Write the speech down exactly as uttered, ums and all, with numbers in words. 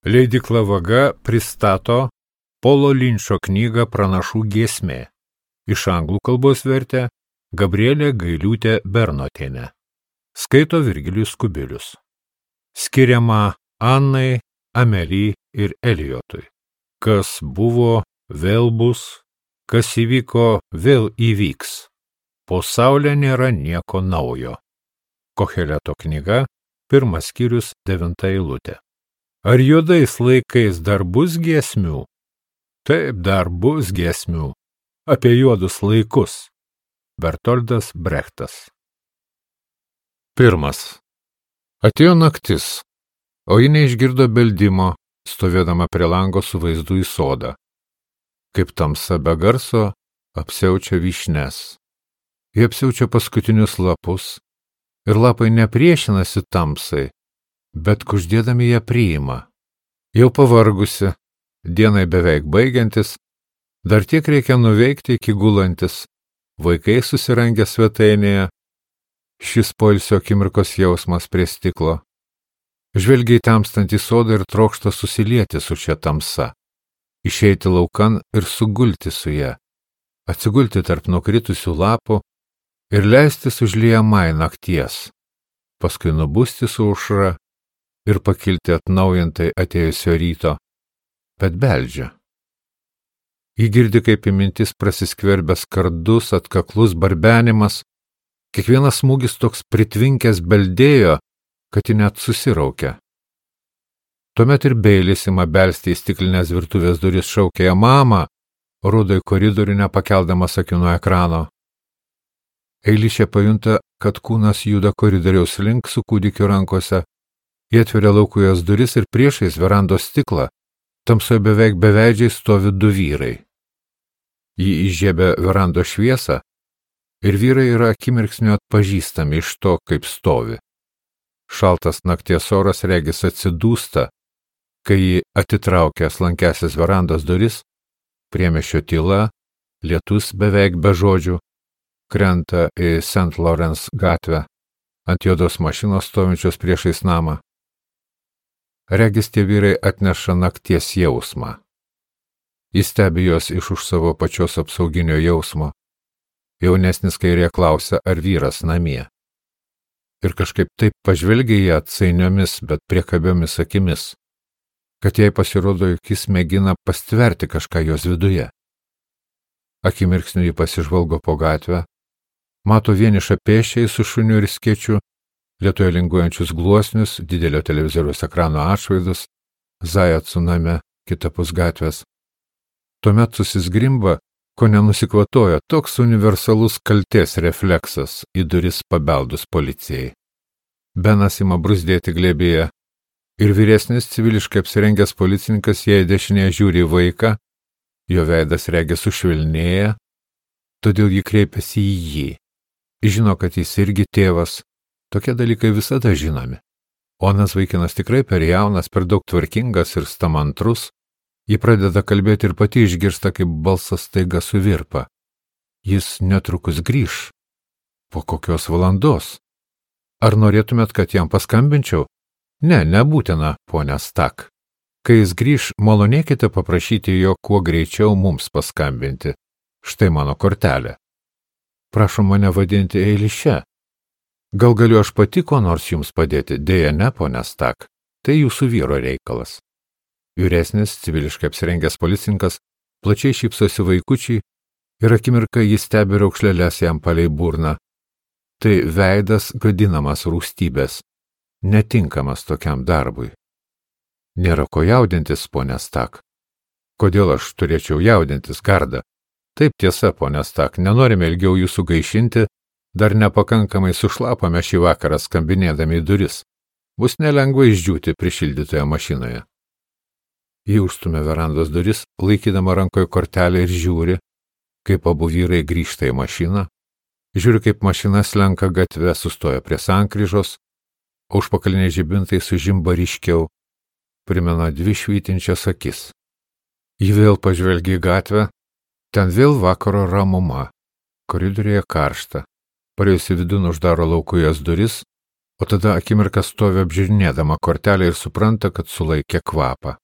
Leidykla Vaga pristato Polo Linčo knygą Pranašų giesmė. Iš anglų kalbos vertė Gabrielė Gailiūtė Bernotienė. Skaito Virgilijus Kubilius. Skiriama Annai, Amely ir Elijotui. Kas buvo, vėl bus, kas įvyko, vėl įvyks. Po saulė nėra nieko naujo. Koheleto knyga, pirmas skyrius, devinta eilutė. Ar juodais laikais dar bus giesmių? Taip, dar bus giesmių. Apie juodus laikus. Bertoldas Brechtas. Pirmas. Atėjo naktis, o ji neišgirdo beldimo, stovėdama prie lango su vaizdu į sodą. Kaip tamsa be garso, apsiaučia vyšnes. Jie apsiaučia paskutinius lapus, ir lapai nepriešinasi tamsai, bet kuždėdami ją priima. Jau pavargusi, dienai beveik baigiantis, dar tiek reikia nuveikti iki gulantis, vaikai susirangę svetainėje, šis poilsio akimirkos jausmas prie stiklo. Žvelgia į temstantį sodą ir trokšta susilieti su šia tamsa, išeiti laukan ir sugulti su ją, atsigulti tarp nukritusių lapų ir leistis užliejamai nakties, paskui nubusti su aušra ir pakilti atnaujintai atėjusio ryto, bet beldžia. Ji girdi, kaip į mintis prasiskverbęs kardus, atkaklus barbenimas, kiekvienas smūgis toks pritvinkęs beldėjo, kad ji net susiraukia. Tuomet ir Beilis ima belsti į stiklinės virtuvės duris, šaukia ją mamą, rodo į koridorių nepakeldamas akių nuo ekrano. Eilišė pajunta, kad kūnas juda koridoriaus link su kūdikiu rankose. Jie atveria laukų jos duris ir priešais verandos stiklą, tamsoje beveik beveidžiai stovi du vyrai. Ji įžiebia verandos šviesą ir vyrai yra akimirksniu atpažįstami iš to, kaip stovi. Šaltas nakties oras regis atsidūsta, kai ji atitraukia slankesias verandos duris, priemiesčio tyla, lietus beveik be žodžių, krenta į Saint Lawrence gatvę, ant juodos mašinos stovinčios priešais namą. Regis tie vyrai atneša nakties jausmą. Jis stebi jos iš už savo pačios apsauginio jausmo. Jaunesnis kairė klausia, ar vyras namie. Ir kažkaip taip pažvelgia ją atsainiomis, bet priekabiomis akimis, kad jai pasirodo, jog jis mėgina pastverti kažką jos viduje. Akimirksniu ji pasižvalgo po gatvę, mato vienišą pėsčiai su šuniu ir skėčiu, lietuje linguojančius gluosnius, didelio televizoriaus ekrano atšvaidus, zają tsuname kitapus gatvės. Tuomet susizgrimba, ko nenusikvatojo, toks universalus kaltės refleksas į duris pabeldus policijai. Benas ima bruzdėti glėbyje ir vyresnis civiliškai apsirengęs policininkas jai dešinėje žiūri į vaiką, jo veidas regis sušvelnėja, todėl ji kreipiasi į jį. Žino, kad jis irgi tėvas, tokie dalykai visada žinomi. Onas vaikinas tikrai per jaunas, per daug tvarkingas ir stamantrus, ji pradeda kalbėti ir pati išgirsta, kaip balsas staiga suvirpa. Jis netrukus grįš. Po kokios valandos? Ar norėtumėt, kad jam paskambinčiau? Ne, nebūtina, ponia Stak. Kai jis grįš, malonėkite paprašyti jo kuo greičiau mums paskambinti. Štai mano kortelė. Prašom mane vadinti Eiliše. Gal galiu aš pati ko nors jums padėti? Dėja ne, ponia Stak. Tai jūsų vyro reikalas. Vyresnis, civiliškai apsirengęs policininkas, plačiai šypsosi vaikučiai ir akimirką jis stebi raukšlėles jam palei burną. Tai veidas gadinamas rūstybės, netinkamas tokiam darbui. Nėra ko jaudintis, ponia Stak. Kodėl aš turėčiau jaudintis, Garda? Taip tiesa, ponia Stak, nenorime ilgiau jūsų gaišinti, dar nepakankamai sušlapame šį vakarą skambinėdami į duris. Bus nelengva išdžiūti prišildytoje mašinoje. Ji užstumia verandos duris, laikydama rankoje kortelę ir žiūri, kaip abu vyrai grįžta į mašiną, žiūri, kaip mašina slenka gatve, sustoja prie sankryžos, o užpakaliniai žibintai sužimba ryškiau, primena dvi švytinčias akis. Ji vėl pažvelgia į gatvę, ten vėl vakaro ramuma, koridoriuje karšta, parėjusi vidun uždaro laukų jos duris, o tada akimirką stovi apžiūrinėdama kortelę ir supranta, kad sulaikė kvapą.